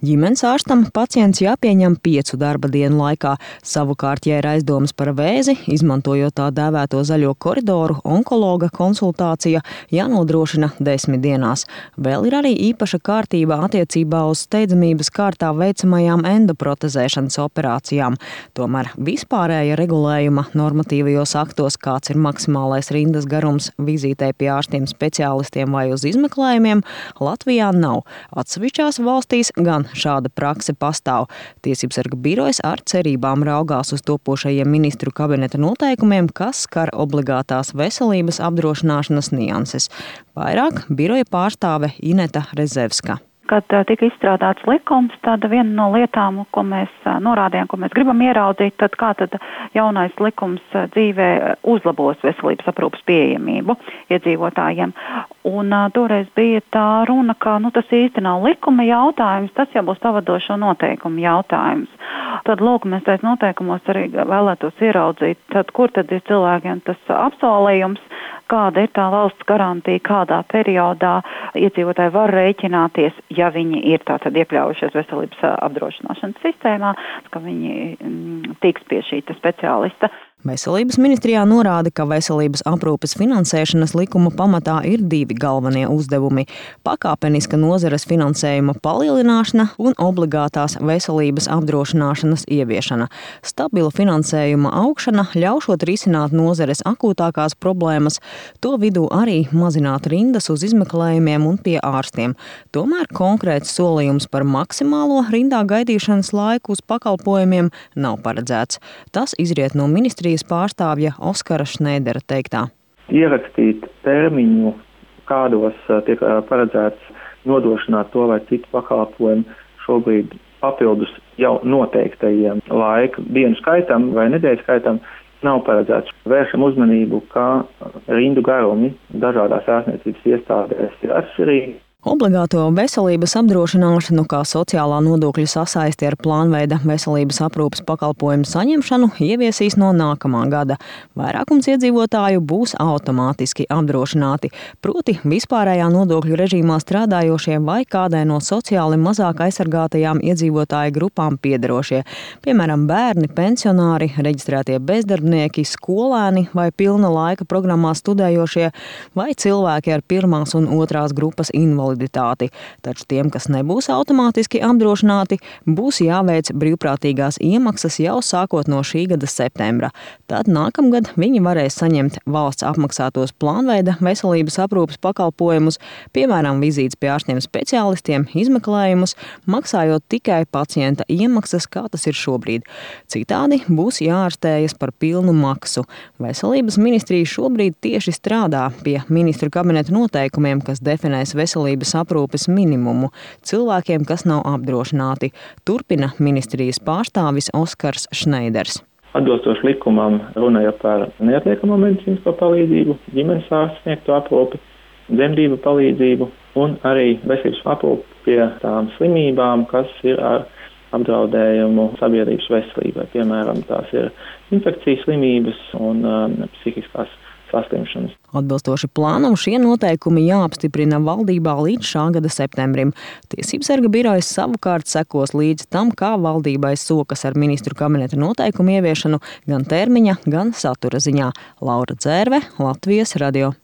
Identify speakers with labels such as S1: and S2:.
S1: Ģimenes ārstam pacients jāpieņem 5 darba dienu laikā. Savukārt, ja ir aizdomas par vēzi, izmantojot tā dēvēto zaļo koridoru, onkologa konsultācija jānodrošina 10 dienās. Vēl ir arī īpaša kārtība attiecībā uz steidzamības kārtā veicamajām endoprotezēšanas operācijām. Tomēr vispārēja regulējuma normatīvajos aktos, kāds ir maksimālais rindas garums vizītei pie ārstiem speciālistiem vai uz izmeklējumiem, Latvijā nav. Atsevišķās valstīs gan šāda prakse pastāv. Tiesībsarga birojas ar cerībām raugās uz topošajiem ministru kabineta noteikumiem, kas skar obligātās veselības apdrošināšanas nianses. Vairāk biroja pārstāve Ineta Rezevska.
S2: Kad tika izstrādāts likums, tad viena no lietām, ko mēs norādījām, ko mēs gribam ieraudzīt, tad kā tad jaunais likums dzīvē uzlabos veselības aprūpas pieejamību iedzīvotājiem. Un toreiz bija tā runa, ka tas īsti nav likuma jautājums, tas jau būs pavadošo noteikumu jautājums. Tad, lūk, mēs tais noteikumos arī vēlētos ieraudzīt, tad kur tad ir cilvēkiem tas apsolījums, kāda ir tā valsts garantija, kādā periodā iedzīvotāji var rēķināties, ja viņi ir tātad iekļaujušies veselības apdrošināšanas sistēmā, ka viņi tiks pie šī speciālista.
S1: Veselības ministrijā norāda, ka veselības aprūpes finansēšanas likuma pamatā ir 2 galvenie uzdevumi – pakāpeniska nozares finansējuma palielināšana un obligātās veselības apdrošināšanas ieviešana. Stabila finansējuma augšana ļaušot risināt nozares akūtākās problēmas, to vidū arī mazināt rindas uz izmeklējumiem un pie ārstiem. Tomēr konkrēts solījums par maksimālo rindā gaidīšanas laiku uz pakalpojumiem nav paredzēts. Tas izriet no ministrijas pārstāvja Oskara Šneidera teiktā.
S3: Ierakstīt termiņu, kādos tiek paredzēts nodrošināt to vai citu pakalpojumu šobrīd papildus jau noteiktajiem laika dienu skaitam vai nedēļu skaitam nav paredzēts. Vēršam uzmanību, ka rindu garumi dažādās ārstniecības iestādēs ir atšķirīgi.
S1: Obligāto veselības apdrošināšanu kā sociālā nodokļa sasaisti ar plānveida veselības aprūpes pakalpojumu saņemšanu ieviesīs no nākamā gada. Vairākums iedzīvotāju būs automātiski apdrošināti, proti vispārējā nodokļu režīmā strādājošie vai kādai no sociāli mazāk aizsargātajām iedzīvotāju grupām piederošie, piemēram, bērni, pensionāri, reģistrētie bezdarbnieki, skolēni vai pilna laika programmā studējošie vai cilvēki ar 1. un 2. grupas invaliditāti. Taču tiem, kas nebūs automātiski apdrošināti, būs jāveic brīvprātīgās iemaksas jau sākot no šī gada septembra. Tad nākamgad viņi varēs saņemt valsts apmaksātos plānveida veselības aprūpes pakalpojumus, piemēram, vizītes pie ārstiem speciālistiem, izmeklējumus, maksājot tikai pacienta iemaksas, kā tas ir šobrīd. Citādi būs jāārstējas par pilnu maksu. Veselības ministrija šobrīd tieši strādā pie ministru kabineta noteikumiem, kas definēs veselības aprūpes minimumu cilvēkiem, kas nav apdrošināti. Turpina ministrijas pārstāvis Oskars Šneiders.
S3: Atbilstoši likumam runāja par neatliekamo medicīnisko palīdzību, ģimenes ārsta sniegto aprūpi, dzemdību palīdzību un arī veselības aprūpi pie tām slimībām, kas ir ar apdraudējumu sabiedrības veselībai. Piemēram, tās ir infekcijas slimības un psihiskās saslimšanas.
S1: Atbilstoši plānam šie noteikumi jāapstiprina valdībā līdz šā gada septembrim. Tiesībsarga birojas savukārt sekos līdz tam, kā valdībai sokas ar ministru kabineta noteikumu ieviešanu gan termiņa, gan satura ziņā. Laura Dzērve, Latvijas radio.